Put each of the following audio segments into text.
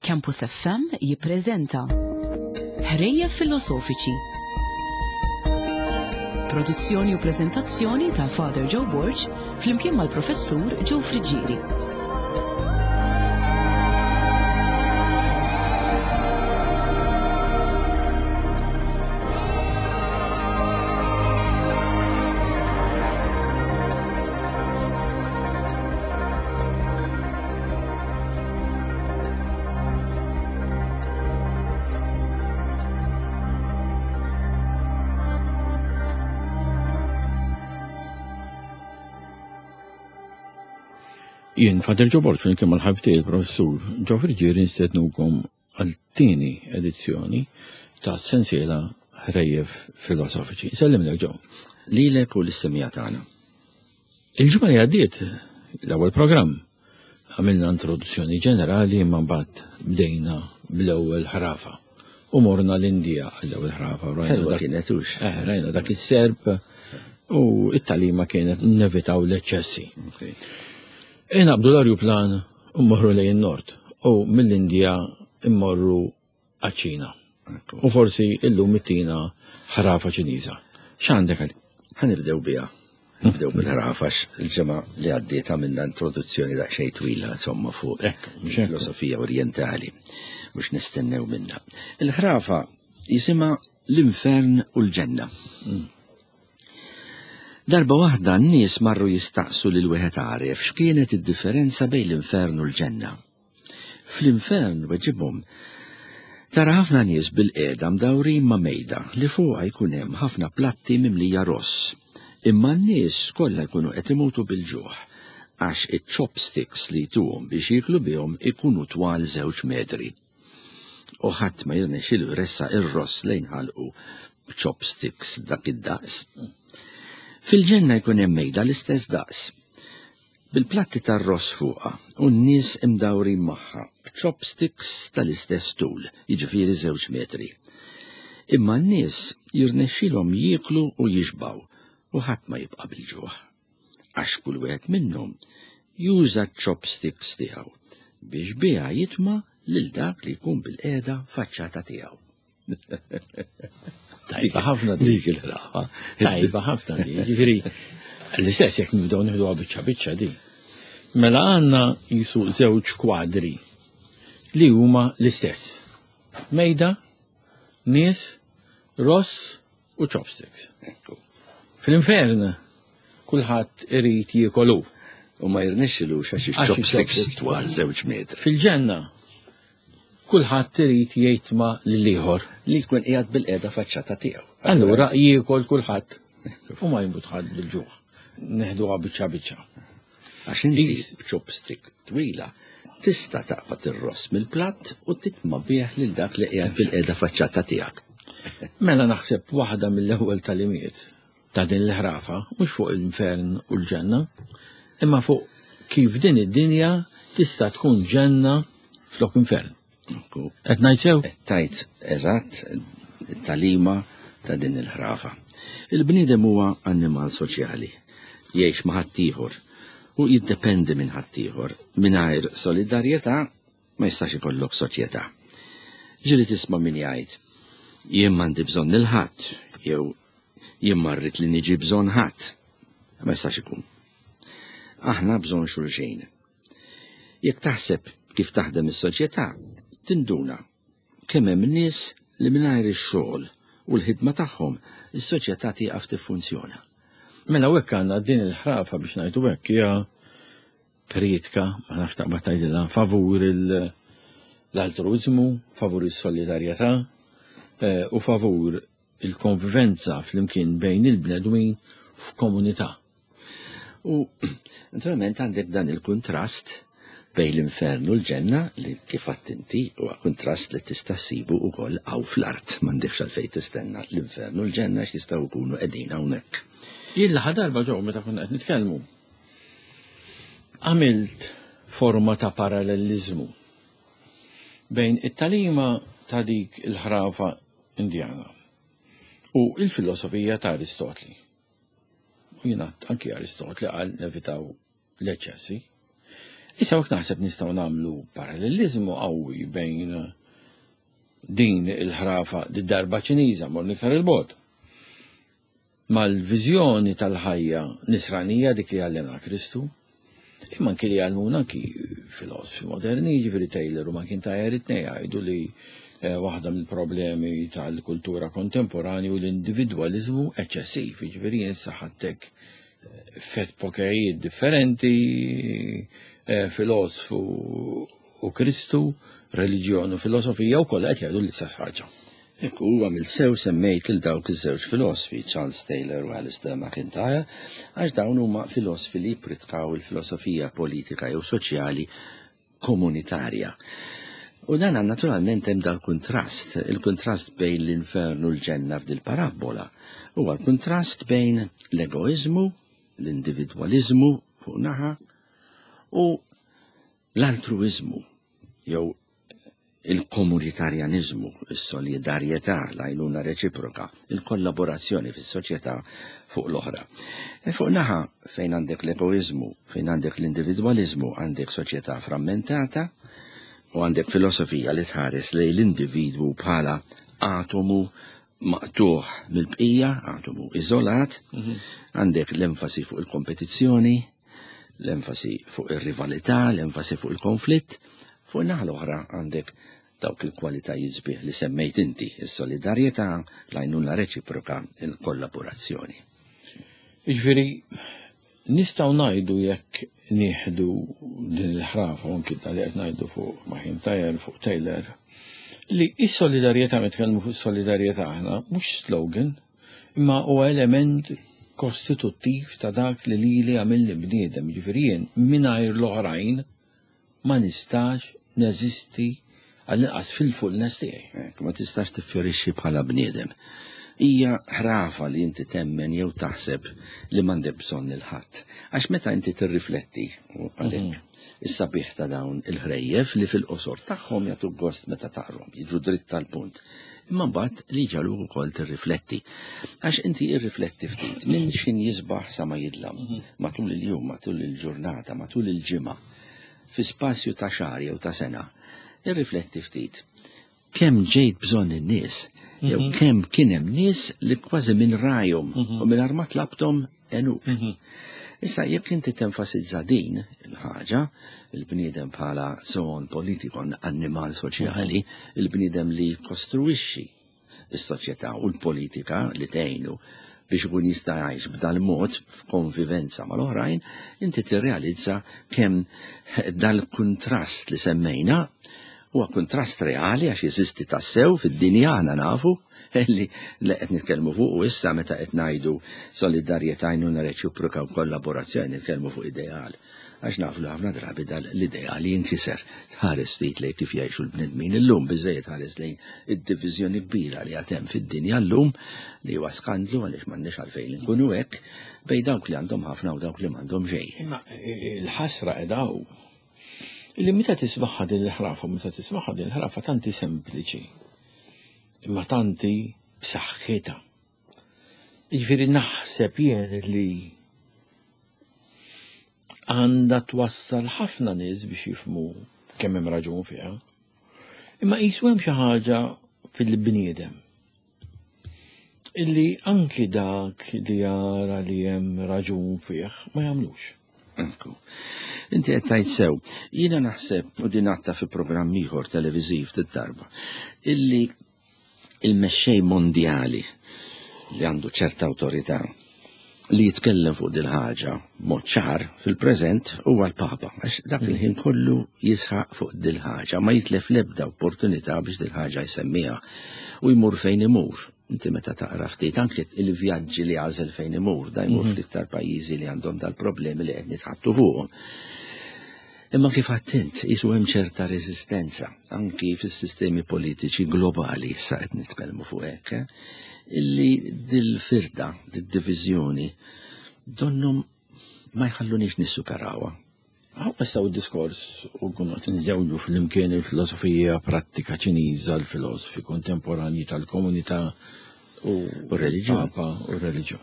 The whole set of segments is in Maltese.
Campus FM jippreżenta Ħrejjef Filosofiċi. Produzzjoni u preżentazzjoni ta' Father Joe Borg flimkien mal-Professur Joe Friggieri. Jien Fader Ġo Borg flimkien mal-ħabib tiegħi il-Professur Ġo Friggieri nistednukom għal tieni edizzjoni ta' sensiela ħrejjef filosofiċi. Sellimlek Ġo. Lilek u lis-semija tagħna. Il-ġimgħa li għaddiet l-ewwel programm għamilna introduzzjoni ġenerali imma mbagħad bdejna bl-ewwel ħrafa. U morna l-Indija għall-ewwel ħrafa. Rajna kienet hux. Eh, rajna dak is-serp u it-talima kienet nevitaw l-eċċessi. Inabdu l-arjuplan u mmorru lejn nord u mill-Indija immorru għaċ-Ċina. U forsi illum ittina ħrafa Ċiniża. X'għandek għal? Ħa nibdew biha. Nibdew bil-ħrafa il-ġimgħa li għaddiet għamilna introduzzjoni daqsxejn twila insomma fuq filosofija orjentali mhux nistennew minna. Il-ħrafa jisimha l-infern u l-ġenna. Mm. Darba waħda n-nies marru jistaqsu lil wieħed għaref x'kienet id-differenza bejn l-infern u l-ġenna. Fl-infern weġibhom, Tara ħafna nies bilqiegħda mdawrin ma' mejda li fuqha jkun hemm ħafna platti mimlija ross. Imma n-nies kollha jkunu qed imutu bil-ġuħ għax iċ-chopsticks li jtuhom biex jieklu bihom ikunu twal żewġ metri. U ħadd ma jirnexxilu jressaq ir-ross lejn ħalqu b'chopsticks dak id-daqs. Fil-ġenna jkun hemm mejda l-istess daqs. Bil-platti tar-ross fuqha u n-nies imdawrin magħha b'chopsticks tal-istess tul, jiġifieri żewġ metri. Imma n-nies jirnexxilhom jieklu u jixbgħu u ħadd ma jibqa' bil-ġuħ. Għax kull wieħed minnhom juża ċ-chopsticks tiegħu biex biha jitma' lil dak li jkun bilqiegħda faċċata tiegħu. Tajba ħafna dik il-ħrafa. Tajba ħafna di. Ġifieri, l-istess jekk nibdew nieħdu biċċa biċċa di. Mela għandna jisu żewġ kwadri li huma l-istess. Mejda, nies, ross u chopsticks. Fl-infern kulħadd irid jiekolu. U ma jirnexxilux għax chopsticks twal żewġ metri. Fil-ġenna kulħadd irid jgħid ma lill-ieħor. Li jkun qiegħed bil-qiegħda faċċata tiegħu. Allura jiekol kulħadd u ma jinbut ħadd bil-ġuħ. Neħduha biċċa biċċa. Għax inti b'chopstick twila tista' taqbad ir-ross mill-platt u titma' bih lil dak li qiegħed bil-qiegħda faċċata tiegħek. Mela naħseb waħda mill-ewwel talimiet ta' din l-ħrafa mhux fuq l-infern u l-ġenna, imma fuq kif din id-dinja tista' tkun ġenna flok infern. Qed ngħid sew? Qed tgħid eżatt it-tagħlima ta' din il-ħrafa. Il-bniedem huwa annimal soċjali, jgħix ma' ħaddieħor u jiddependi minn ħaddieħor. Mingħajr solidarjetà ma jistax ikollok soċjetà. Ġieli tisma' min jgħid, jien m'għandi bżonn lil ħadd jew jien ma rrid li niġi bżonn ħadd. Ma jistax ikun. Aħna bżonn xulxin. Jekk taħseb kif taħdem is-soċjetà, tinduna kemm hemm nies li mingħajr ix-xogħol u l-ħidma tagħhom is-soċjetà tieqaf tiffunzjona. Mela hawnhekk għandna din il-ħrafa biex ngħidu hekk hija priedka, ma nafx taqbad tgħidilha, favur l-altruiżmu, favur is-solidarjetà eh, u favur il-konvivenza flimkien bejn il-bnedmin f'komunità. U naturalment għandek dan il-kuntrast bejn l-infern u l-ġenna li kif inti huwa kuntrast li tista' ssibu wkoll hawn fl-art m'għandekx għalfejn tistenna l-infern u l-ġenna x'jistgħu jkunu qegħdin hawnhekk. Jien l darba ġew meta konna qed nitkellmu. Għamilt forma ta' paralleliżmu bejn it-talima ta' dik il-ħrafa Indjana u il-filosofija ta' Aristotli. U jingħad anki Aristotli qal nevitaw l-eċċessi. Issa hekk naħseb nistgħu nagħmlu paralleliżmu qawwi bejn din il-ħrafa di darba Ċiniża mor iktar il-bogħod mal-viżjoni tal-ħajja nisranija dik li għallimna Kristu, imma anki li għallmuna anki filosofi moderni, jiġifieri Taylor u McIntyre it-tnejn jgħidu li eh, waħda mill-problemi tal-kultura kontemporanju l-individwaliżmu eċċessiv, jiġifieri jinsaħattek eh, fet pokejiet differenti, eh, filosofu u Kristu, reliġjon u filosofija u kollha qed jgħidu l-istess ħaġa. Ekku, huwa mill-sew semmejt lil dawk iż-żewġ filosfi, Charles Taylor u Alistair McIntyre, għax dawn huma filosfi li jippritkaw il-filosofija politika jew soċjali komunitarja. U dan naturalment hemm dal-kuntrast, il-kuntrast bejn l-infern u l-ġenna f'dil parabbola. Huwa l-kuntrast bejn l-egoiżmu, l-individwaliżmu fuq naħa u l-altruiżmu jew il-komunitarjaniżmu, is-solidarjetà, l-għajnuna reċiproka, il-kollaborazzjoni fis-soċjetà fuq l-oħra. E fuq naħa fejn għandek l-egoiżmu, fejn għandek l-individwaliżmu, għandek soċjetà frammentata u għandek filosofija li tħares lejn l-individwu bħala atomu maqtuħ mill-bqija, atomu iżolat, għandek l-enfasi fuq il-kompetizzjoni, l-enfasi fuq ir-rivalità, l-enfasi fuq il-konflitt, fuq in-naħa l-oħra għandek dawk il-kwalitajiet sbieħ li semmejt inti, is-solidarjetà, l-għajnuna reċiproka, il-kollaborazzjoni. Jiġifieri nistgħu ngħidu jekk nieħdu din il-ħrafa u anki tal qed ngħidu fuq McIntyre, fuq Taylor, li is-solidarjetà meta nitkellmu fuq solidarjetà aħna mhux slogan, imma huwa element kostituttiv ta' dak li lili għamilni bniedem, jiġifieri jien mingħajr l-oħrajn ma nistax neżisti għall-inqas fil-fullness tiegħi. Hekk, ma tistax tiffjorixxi bħala bniedem. Hija ħrafa li inti temmen jew taħseb li m'għandek bżonn lil ħadd. Għax meta inti tirrifletti, u għalhekk is-sabiħ ta' dawn il-ħrejjef li fil-qosor tagħhom jagħtuk gost meta taqrhom, jiġu dritt tal-punt. Imma mbagħad li jġagħluk ukoll tirrifletti. Għax inti irrifletti ftit minn x'in jisbaħ sa ma jidlam, matul il-jum, matul il-ġurnata, matul il-ġimgħa, fi spazju ta' xahar jew ta' sena. Irrifletti ftit. Kemm ġejt bżonn in-nies, jew kemm kien hemm nies li kważi minn rajhom u minn ma tlabthom għenuk. Issa jekk inti tenfasizza din il-ħaġa, il-bniedem bħala zoon politikon, annimal soċjali, il-bniedem li kostruixxi is-soċjetà u l-politika li tgħinu biex ikun jista' jgħix b'dal-mod f'konvivenza mal-oħrajn, inti tirrealizza kemm dal-kuntrast li semmejna huwa kuntrast reali għax jeżisti tassew fid-dinja aħna nafu li li qed nitkellmu fuq u issa meta qed ngħidu solidarjetà, għajnuna reċiproka u kollaborazzjoni nitkellmu fuq ideal. Għax nafu li ħafna drabi dan l-ideal jinkiser. Tħares ftit lejn kif jgħixu l-bnedmin illum, biżejjed ħares lejn id-diviżjoni kbira li għad hemm fid-dinja llum li huwa skandlu għaliex m'għandniex għalfejn inkunu hekk bejn dawk li għandhom ħafna u dawk li m'għandhom xejn. Imma il-ħasra qiegħda hawn. Illi meta tismagħha din il-ħrafa, meta tismagħha din il-ħrafa tanti sempliċi, imma tanti b'saħħitha. Jiġifieri naħseb jien li għandha twassal ħafna nies biex jifhmu kemm hemm raġun fiha. Imma qisu hemm xi ħaġa fil-bniedem illi anki dak li jara li hemm raġun fih ma jagħmlux. Ekku. Inti qed tgħid sew. Jiena naħseb u din għadtha fi programm ieħor televiżiv ftit darba illi il-mexxej mondjali li għandu ċerta awtorità li jitkellem fuq dil ħaġa mod ċar fil-preżent huwa l-Papa, għax dak il-ħin kollu jisħaq fuq dil ħaġa, ma jitlef l-ebda opportunità biex dil ħaġa jsemmiha u jmur fejn imur. Inti meta taqra ftit anke il-vjaġġi li għażel fejn imur, da jmur fl-iktar pajjiżi li għandhom dal-problemi li qed nitħattu fuqhom. Imma kif għedt int, qisu hemm ċerta reżistenza anki fis-sistemi politiċi globali, issa qed nitkellmu fuq hekk, illi dil-firda, dil-diviżjoni, donnhom ma jħallunix nissuperawha. Għaw issa u diskors u nkunu qed nżewġu fl-imkien il-filosofija prattika Ċiniża, l-filosofi kontemporanji tal-komunità u reliġjon. Papa u reliġjon.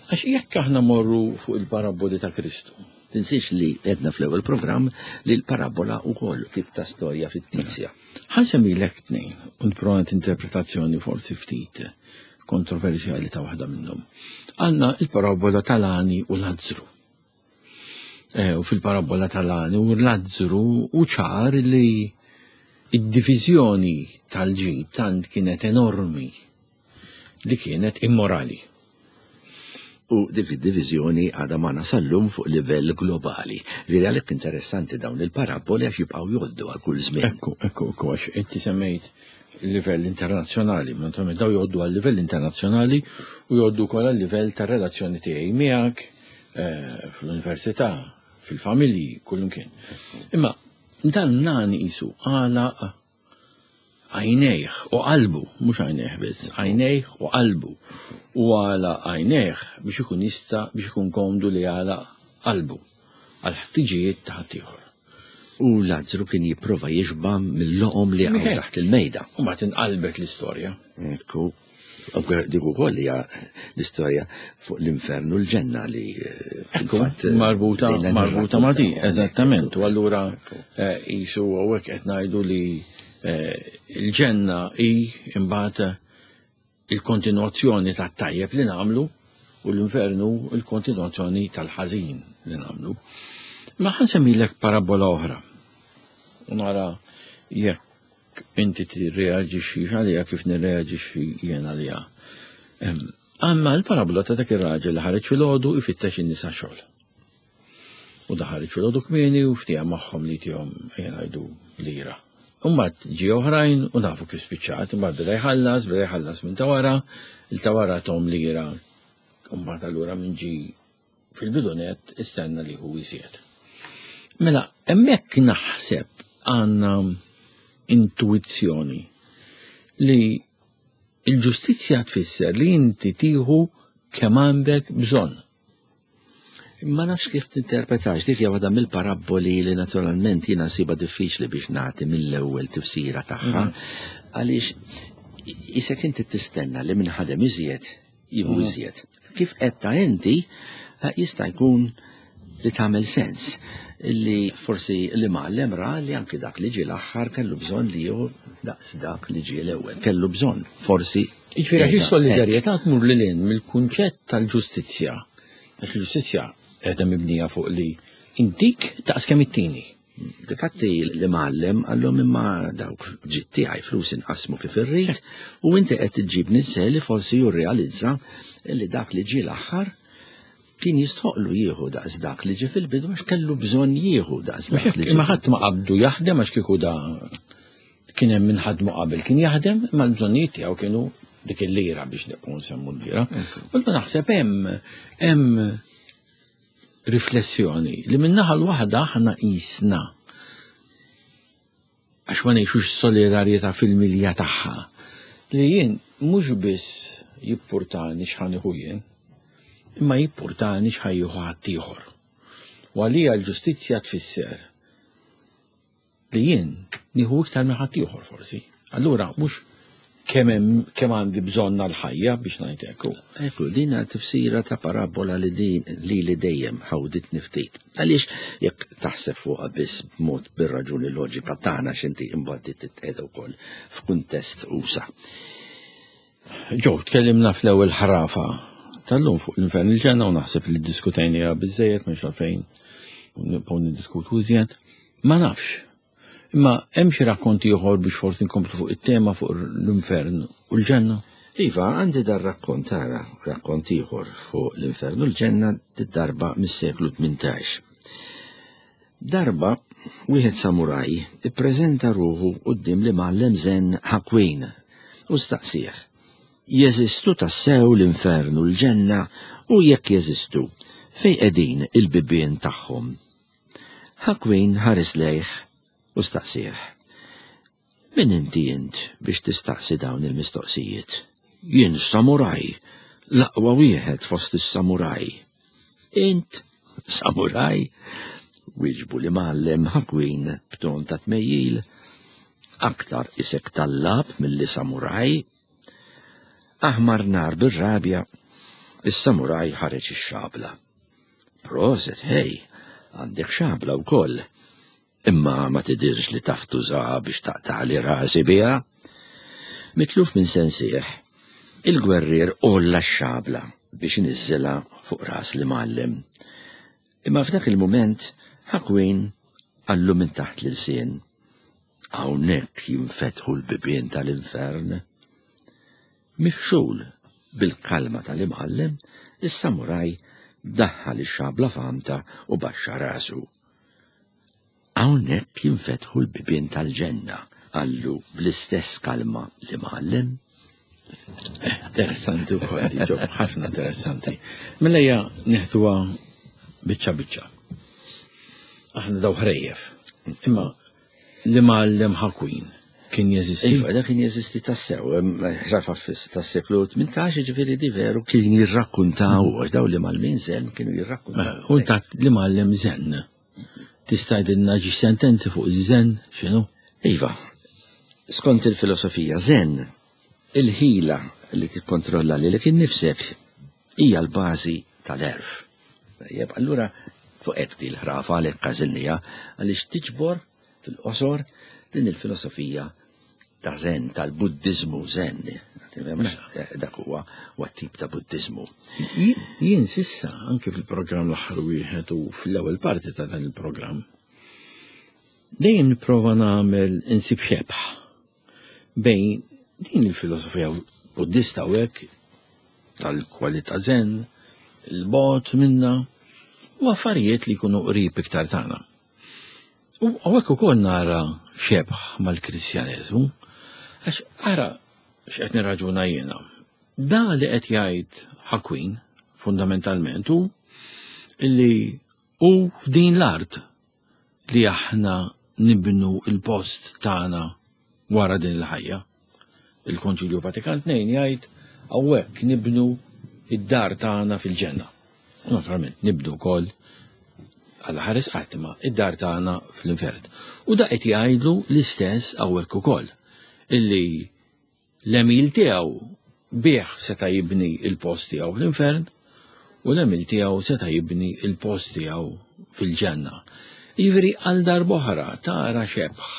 Għax jekk aħna morru fuq il-paraboli ta' Kristu. Tinsiex li għedna fl-ewwel programm li l-parabola wkoll tip ta' storja fittizja. Ħa nsemmilek tnejn u nipprova interpretazzjoni forsi ftit kontroversjali ta' waħda minnhom. Għandna il-parabola tal-għani u Lazzru. Eh, u fil-parabola tal-għani u Lazzru u ċar li id-diviżjoni tal-ġid tant kienet enormi li kienet immorali. U dik id-diviżjoni għadha magħna sal-lum fuq livell globali. Veri għalhekk interessanti dawn il-paraboli għax jibqgħu jgħoddu għal kull żmien. Ekku, ekku, ekku, għax inti semmejt livell internazzjonali, naturalment daw jgħoddu għal livell internazzjonali u jgħoddu wkoll għal livell tar-relazzjoni tiegħi miegħek eh, fl-università, fil-familji, kullimkien. Imma dan nan isu għalaq għajnejh u qalbu, mhux għajnejh biss, għajnejh u qalbu. U għalaq għajnejh biex ikun jista' biex ikun komdu li għalaq qalbu għal ħtiġijiet ta' ħaddieħor. U Lazzru kien jipprova jixba' mill-loqom li jaqgħu taħt il-mejda. U ma tinqalbet l-istorja. Ekku. Dik ukoll hija l-istorja fuq l-infern u l-ġenna li eh, fil-fatt eh, marbuta marbuta ma' di, eżattament. U allura eh, jisu hawnhekk qed ngħidu li l-ġenna hi imbagħad il-kontinuazzjoni tat-tajjeb li nagħmlu u l-infernu il-kontinuazzjoni tal-ħażin li nagħmlu. Ma ħansemmilek parabola oħra. U nara jekk inti tirreaġixxi għaliha kif nirreaġixxi jien għaliha. Għandna l-parabola ta' dak ir-raġel li ħareġ filgħodu ifittex in-nisa xogħol. U da ħareġ filgħodu kmieni u ftieha magħhom li tihom ejja ngħidu lira. Imbagħad ġie oħrajn u nafu kif spiċċat, imbagħad beda jħallas, beda jħallas minn ta' wara, il ta' wara tom lira. Imbagħad allura minn ġie fil-bidu nett istenna li hu iżjed. Mela, hemmhekk naħseb għandna intuizzjoni li il-ġustizzja tfisser li inti tieħu kemm għandek bżonn. Ma nafx kif tinterpretax, dik hija waħda mill-parabboli li naturalment jiena nsibha diffiċli biex nagħti mill-ewwel tifsira tagħha, mhm. għaliex isek inti tistenna li minn ħadem iżjed jieħu mhm. iżjed. Kif qed ta' inti eh, jista' jkun li tagħmel sens li forsi li mgħallem ra li anki dak li ġie l-aħħar kellu bżonn li jieħu daqs dak li ġie l-ewwel. Kellu bżonn, forsi. Jiġifieri għax is-solidarjetà tmur lil hinn mill-kunċett tal-ġustizzja. Għax il-ġustizzja qiegħda mibnija fuq li intik daqs kemm it-tieni. Difatti li mgħallem għallhom imma dawk ġid tiegħi flus inqasmu kif irrid u inti qed iġġib nisel li forsi jirrealizza li dak li ġie l-aħħar kien jistħoqlu jieħu daqs dak li ġie fil-bidu għax kellu bżonn jieħu daqs dak li ġie. Imma ħadd ma qabdu jaħdem għax kieku da kien hemm min ħadmu qabel kien jaħdem imma l-bżonnijiet tiegħu kienu dik il-lira biex nibqgħu nsemmu l-lira. U naħseb hemm hemm riflessjoni li min-naħa l-waħda aħna qisna għax ma ngħixux solidarjetà fil-milja tagħha li jien mhux biss jippurtani x'ħa nieħu jien, imma jippurtani x'ħa jieħu ħaddieħor. U għalija l-ġustizzja tfisser li jien nieħu iktar minn ħaddieħor forsi. Allura mhux kemm kemm għandi bżonn għall-ħajja biex ngħid hekk. Ekku, din tifsira ta' parabola li din li li dejjem ħawditni ftit. Għaliex jekk taħseb fuqha biss b'mod bir-raġuni loġika tagħna x'inti imbagħad titqiegħda wkoll f'kuntest usa. Ġew, tkellimna fl-ewwel ħrafa tal-lum fuq l-infern il-ġenna u naħseb li ddiskutejniha biżejjed mhux għalfejn nibqgħu niddiskutu iżjed. Ma nafx. Imma hemm xi rakkont ieħor biex forsi nkomplu fuq it-tema fuq l-infern u l-ġenna? Iva, għandi dar rakkont ara, rakkont ieħor fuq l-infern u l-ġenna darba mis-seklu 18. Darba, wieħed samuraj ippreżenta ruħu quddiem l-imgħallem Zen Hakuin u staqsieh, Jeżistu tassew l-infern u l-ġenna u jekk jeżistu, fejn qegħdin il-bibien tagħhom? Hakuin ħares lejh u staqsieh, Min inti int biex tistaqsi dawn il-mistoqsijiet? Jien samuraj, l-aqwa wieħed fost is-samuraj. Int samuraj? Wieġbu l-imgħallem Hakuin b'ton ta' tmejjil. Aktar isek tallab milli samuraj. Aħmar nar bir-rabja, is-samuraj ħareġ ix-xabla. Proset, hej! Għandek xabla wkoll. Imma ma tidhirx li taf tużaha biex taqtagħli rasi biha. Mitluf minn sensih, il-gwerrier għolla x-xabla biex iniżżilha fuq ras l-imgħallem. Imma f'dak il-mument Hakuin qallu minn taħt l-ilsien, Hawnhekk jinfetħu l-bibien tal-infern. Mifxul bil-kalma tal-imgħallem, is-samuraj daħħal ix-xabla f'għamta u baxxa rasu. Hawnhekk jinfetħu l-bibien tal-ġenna, qallu bl-istess kalma l-imgħallem. Eh, interessanti wkoll di ġob, ħafna interessanti. Mela hija neħduha biċċa biċċa. Aħna daw ħrejjef. Imma l-imgħallem ħakwin kien jeżisti. Iva, dak kien jeżisti tassew, ħrafa tas-seklu 18, ġifieri di veru kien jirrakkuntaw, għax daw li malmin zen kienu jirrakkuntaw. Eh, u ta' li mgħallem zen. Tista' jgħidilna ġi sentenzi fuq iż-zen x'inhu? Iva, skont il-filosofija zen, il-ħila li tikkontrolla lilek innifsek hija l-bażi tal-għerf. Tajjeb, allura fuq hekk di l-ħrafa għalhekk għażilniha għaliex tiġbor fil-qosor din il-filosofija ta' zen, tal-Buddiżmu zen. Dak huwa huwa tip ta' Buddiżmu. Jien sissa anke fil-programm l-aħħar wieħed u fl-ewwel parti ta' dan il-programm dejjem nipprova nagħmel insib xebħ bejn din il-filosofija Buddista u hekk tal-kwalità zen, il-bot minna u affarijiet li jkunu qrib iktar tagħna. U hawnhekk ukoll nara xebh mal-Kristjaneżmu, għax ara x'qed nirraġuna jiena. Da li qed jgħid Ħakwin fundamentalment hu illi hu f'din l-art li aħna nibnu il-post tagħna wara din il-ħajja. Il-Konċilju Vatikan II jgħid hawnhekk nibnu id-dar tagħna fil-ġenna. U naturalment nibnu wkoll għal ħares qatt imma id-dar tagħna fl-infern. U da qed jgħidlu l-istess hawnhekk ukoll illi l-emil tiegħu bih seta' jibni il-post tiegħu fl-infern u l-emil tiegħu seta' jibni il-post tiegħu fil-ġenna. Jiġifieri għal darb'oħra tara xebħ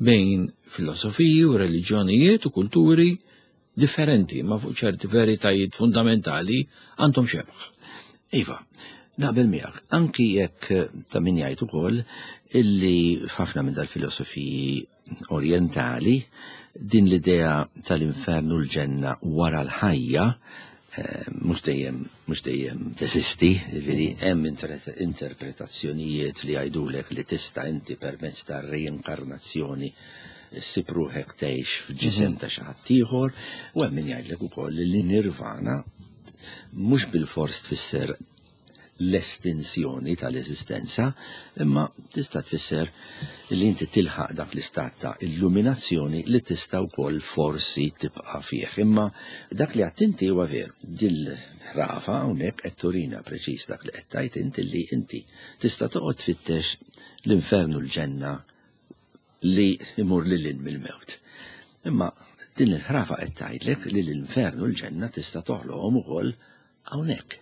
bejn filosofiji u reliġjonijiet u kulturi differenti ma fuq ċerti veritajiet fundamentali għandhom xebħ. Iva, naqbel miegħek, anki jekk eh, ta' min jgħid ukoll illi ħafna minn dal-filosofiji orientali din l-idea tal-infern u l-ġenna wara l-ħajja eh, mhux dejjem mhux dejjem teżisti, jiġifieri hemm interpretazzjonijiet li jgħidulek li tista' inti permezz tar-reinkarnazzjoni ssib ruħek tgħix f'ġisem mhm. ta' xi ħadd ieħor, u hemm min jgħidlek ukoll li nirvana mhux bilfors tfisser l-estinsjoni tal-eżistenza, imma tista' tfisser li inti tilħaq dak l-istat ta' illuminazzjoni li tista' wkoll forsi tibqa' fih. Imma dak li għedt inti huwa veru. Dil-ħrafa hawnhekk qed turina preċiż dak li qed tgħid inti li inti tista' toqgħod tfittex l-infern u l-ġenna li imur lil hinn mill-mewt. Imma din il-ħrafa qed tgħidlek li l-infern u l-ġenna tista' toħloqhom ukoll Hawnhekk.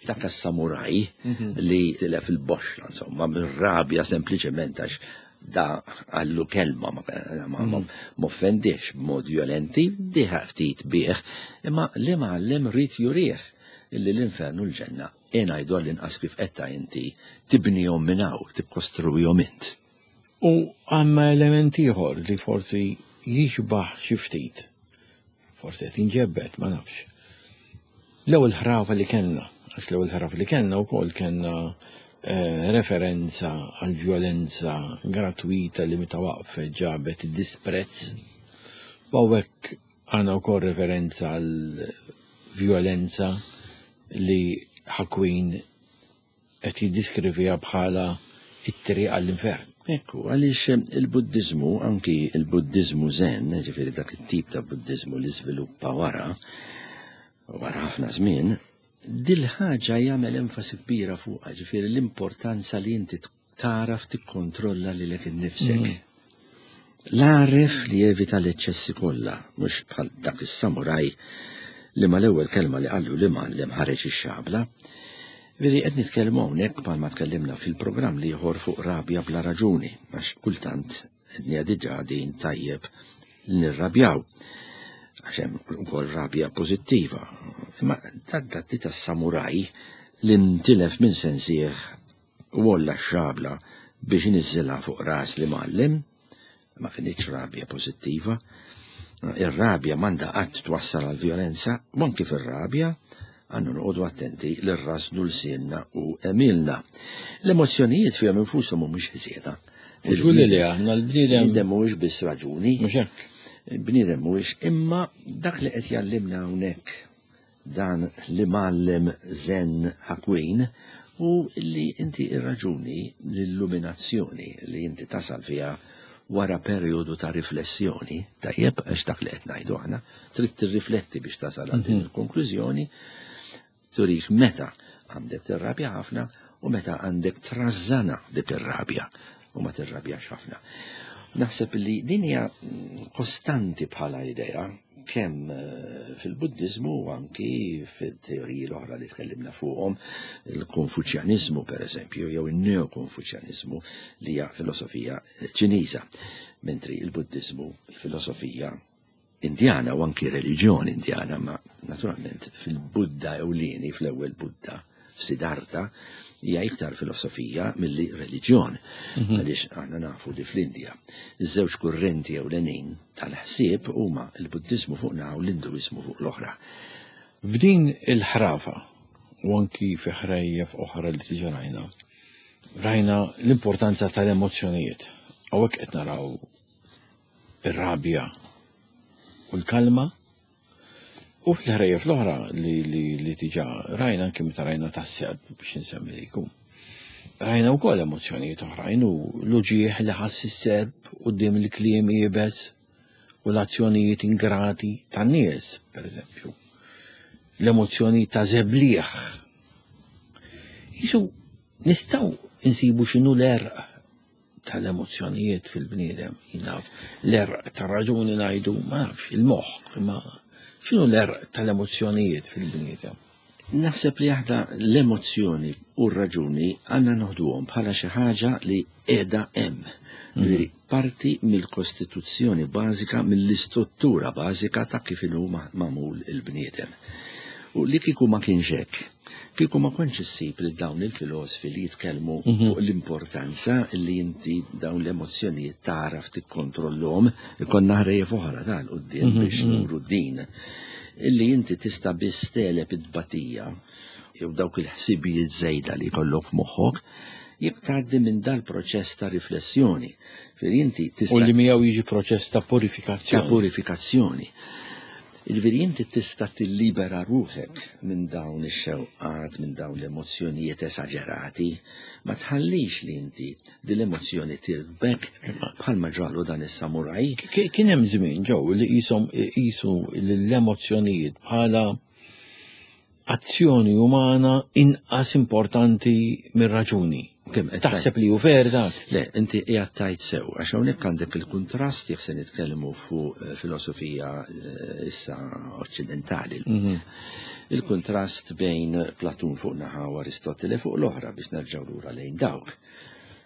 Dak as-samuraj mhm. li tilef il-boxla, insomma, mir-rabja sempliċement għax da għallu kelma ma mhm. offendix b'mod violenti, diħa ftit bih, imma li mgħallem rrid jurih illi l-infern u l-ġenna ngħidu għall-inqas kif qed inti tibnihom minn hawn, tikkostruwihom int. U għandna element ieħor li forsi jixbaħ xi ftit. Forsi qed inġebbed, ma nafx. L-ewwel ħrafa li kellna, għax l-ewwel ħrafa li kellna wkoll kellna eh, referenza għal violenza gratuita li meta waqfet ġabet disprezz. U hawnhekk għandna wkoll referenza għal violenza li ħakwin qed jiddiskriviha bħala t-triq għall-infern. Ekku, għaliex il-Buddiżmu, anki il-Buddiżmu Zen, ġifieri dak it-tip ta' Buddiżmu li żviluppa wara, wara ħafna żmien, dil-ħaġa jagħmel enfasi kbira fuqha, ġifieri l-importanza li inti tagħraf tikkontrolla lilek innifsek. Mm. L-għaref li jevita l-eċċessi kollha, mhux bħal dak is-samuraj li mal-ewwel kelma li qallu li mgħallem ħareġ ix-xabla. Veri qed nitkellmu hawnhekk bħalma tkellimna fil-programm l-ieħor fuq rabja bla raġuni, għax kultant qed diġà din tajjeb li nirrabjaw. Għax hemm ukoll rabja pożittiva. Imma dak dak tas-samuraj li ntilef minn sensih u għolla x-xabla biex iniżżilha fuq ras l-imgħallem, ma kinitx rabja pożittiva. Ir-rabja m'għandha qatt twassal għal vjolenza, u anki fir-rabja għandna noqogħdu attenti li rrasnu lsienna u għemilna. L-emozzjonijiet fihom infushom mhumiex ħżiena. Żgur li le, aħna l-bniedem. Bniedem mhuwiex biss raġuni. Mhux hekk. Bniedem mhuwiex, imma dak li qed jgħallimna hawnhekk dan l-imgħallem Zen Hakuin hu li inti ir-raġuni, l-illuminazzjoni li inti tasal fiha wara perjodu ta' riflessjoni, tajjeb għax dak li qed ngħidu aħna, trid tirrifletti biex tasal għal din il-konklużjoni, turik meta għandek tirrabja ħafna u meta għandek trażżana dik ir-rabja u ma tirrabjax ħafna. Naħseb li din hija kostanti bħala idea kemm fil-Buddiżmu u anki fil-teoriji l-oħra li tkellimna fuqhom, il-Konfuċjaniżmu pereżempju, jew in-Neo-Konfuċjaniżmu li hija filosofija Ċiniża, mentri il-Buddiżmu filosofija Indjana u anki reliġjon Indjana, ma naturalment fil-Budda ewlieni, fl-ewwel Budda, f'Siddhartha, hija iktar filosofija milli reliġjon. Għaliex aħna nafu li fl-Indja iż-żewġ kurrenti ewlenin tal-ħsieb huma l-Buddiżmu fuq naħa u l-Induiżmu fuq l-oħra. F'din il-ħrafa u anki fi ħrejjef oħra li diġà rajna, rajna l-importanza tal-emozzjonijiet. Hawnhekk qed naraw ir-rabja u l-kalma. U fil-ħrejjef l-oħra li, li, li diġà rajna anke meta rajna tas-serp biex insemmi li jkun. Rajna wkoll emozzjonijiet oħrajn u l-uġigħ li ħass is-serp quddiem il-kliem iebes u l-azzjonijiet ingrati tan-nies, pereżempju. L-emozzjoni ta' żebliħ. Jisu nistgħu insibu x'inhu l-għerq tal-emozzjonijiet fil-bniedem, jien naf, l-għerq tar-raġuni ngħidu, ma nafx, il-moħħ, imma x'inhu l-għerq tal-emozzjonijiet fil-bniedem? Naħseb li aħna l-emozzjoni u r-raġuni għandna noħduhom bħala xi ħaġa li qiegħda hemm. Li parti mill-kostituzzjoni bażika, mill-istruttura bażika ta' kif inhu magħmul il-bniedem. U li kieku ma kienx hekk, kieku ma kontx issib lil dawn il-filosfi li jitkellmu fuq l-importanza li inti dawn l-emozzjonijiet tagħraf tikkontrollhom, ikollna ħrejjef oħra ta' 'l quddiem biex nuru din. Illi inti tista' biss tegħleb it-tbatija jew dawk il-ħsibijiet żejda li jkollok f'moħħok jekk tgħaddi minn dal-proċess ta' riflessjoni. Ġifieri inti tista' U li miegħu jiġi proċess ta' purifikazzjoni. Ta' purifikazzjoni. Jiġifieri inti tista' tillibera ruħek minn dawn ix-xewqat, minn dawn l-emozzjonijiet esaġerati. Ma tħallix li inti din l-emozzjoni tirkbek bħalma ġralu dan is-samuraj. Kien hemm żmien ġew li qishom iqisu l-emozzjonijiet bħala azzjoni umana inqas importanti mir-raġuni. Taħseb li hu ver dak? Le, inti qiegħed tgħid sew, għax hawnhekk għandek il-kuntrast jekk se nitkellmu fuq filosofija issa oċċidentali. Il-kuntrast bejn Platun fuq naħa u Aristotele fuq l-oħra biex nerġgħu lura lejn dawk.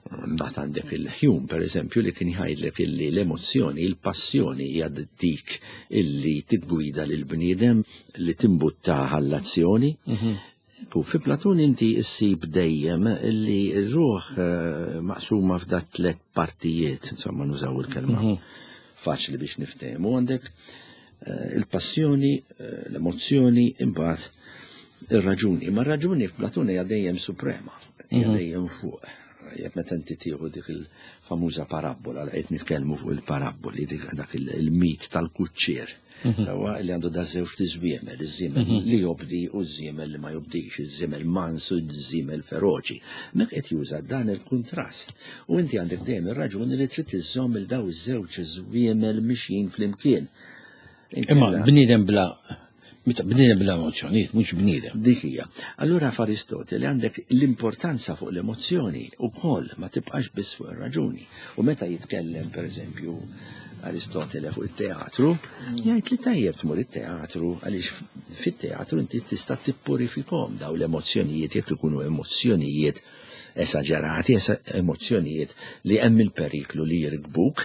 Mbagħad għandek il-Hume, per eżempju, li kien jgħidlek illi l-emozzjoni, il-passjoni hija dik illi tiggwida lill-bniedem li timbuttah għall-azzjoni. U fi Platun inti issib dejjem illi r-ruħ maqsuma f'da tliet partijiet, insomma nużaw il-kelma faċli biex niftehmu, għandek il-passjoni, l-emozzjoni, imbagħad ir-raġuni. Ma r-raġuni f'Platun hija dejjem suprema, hija dejjem fuq. Jekk meta inti tieħu dik il-famuża parabbola li qed nitkellmu fuq il-parabboli, dik dak il-mit tal-kuċċier. Huwa li għandu da żewġ tiżwiemel, iż-żiemel li jobdi u ż-żiemel li ma jobdix, iż-żiemel mans u ż-żiemel feroċi. Mek qed juża dan il-kuntrast. U inti għandek dejjem ir-raġuni li trid iżżomm il daw iż-żewġ żwiemel mixjin flimkien. Imma bniedem bla Meta bniedem bla emozzjonijiet mhux bniedem. Dik hija. Allura f'Aristotele għandek l-importanza fuq l-emozzjoni ukoll ma tibqax biss fuq ir-raġuni. U meta jitkellem pereżempju Aristotele fuq it-teatru, jgħid li tajjeb tmur it-teatru għaliex fit-teatru inti tista' tippurifikhom daw l-emozzjonijiet jekk ikunu emozzjonijiet esaġerati, emozzjonijiet li hemm il-periklu li jirkbuk.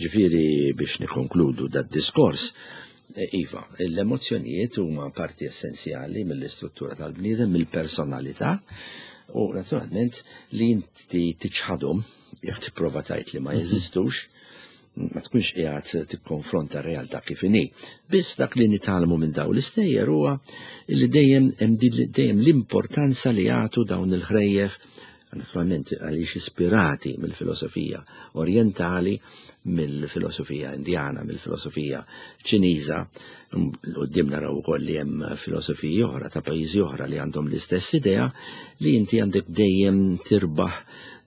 Ġifieri biex nikkonkludu dad-diskors, e, Iva, l-emozzjonijiet huma parti essenzjali mill-istruttura tal-bniedem, mill-personalità, u naturalment li inti tiċħadhom, jekk tipprova tgħid li ma jeżistux, ma tkunx qiegħed tikkonfronta r-realtà kif inhi. Biss dak li nitgħallmu minn dawn l-istejjer huwa li dejjem hemm dejjem l-importanza li jagħtu dawn il-ħrejjef naturalment għaliex ispirati mill-filosofija orjentali, mill-filosofija indjana, mill-filosofija ċiniża, quddiem naraw ukoll li hemm filosofiji oħra ta' pajjiżi oħra li għandhom l-istess idea li inti għandek dejjem tirbaħ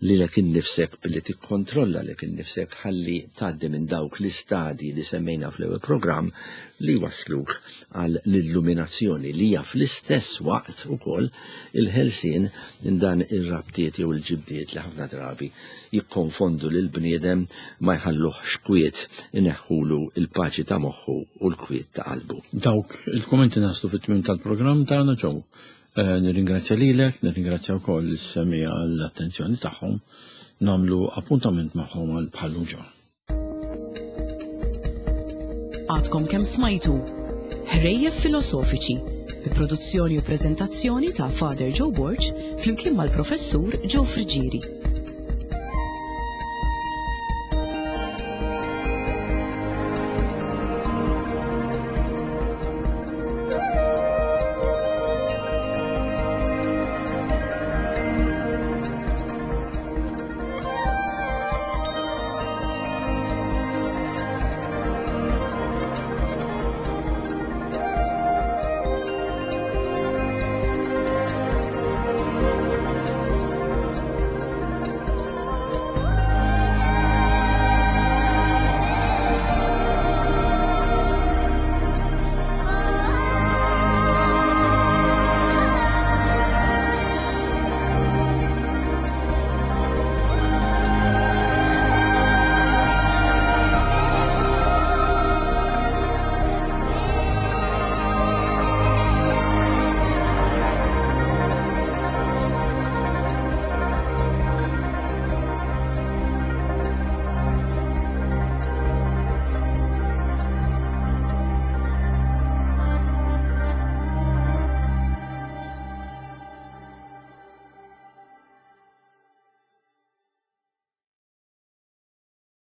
lilek innifsek billi tikkontrolla lilek innifsek ħalli tgħaddi minn dawk l-istadji li semmejna fl-ewwel programm li jwassluk għal l-illuminazzjoni li hija fl-istess waqt ukoll il-ħelsien minn dan ir-rabtiet jew il-ġibdiet li ħafna drabi jikkonfondu lill-bniedem ma jħalluhx kwiet ineħħulu l-paċi ta' moħħu u l-kwiet ta' qalbu. Dawk il-kummenti naslu fit-tmiem tal-programm tagħna ġew Eh, nirringrazzja lilek, nirringrazzja wkoll is-semija għall-attenzjoni tagħhom, nagħmlu appuntament magħhom għal bħallu ġo. Għadkom kemm smajtu Ħrejjef Filosofiċi bi produzzjoni u preżentazzjoni ta' Father Joe Borg flimkien mal-Professur Joe Friġieri.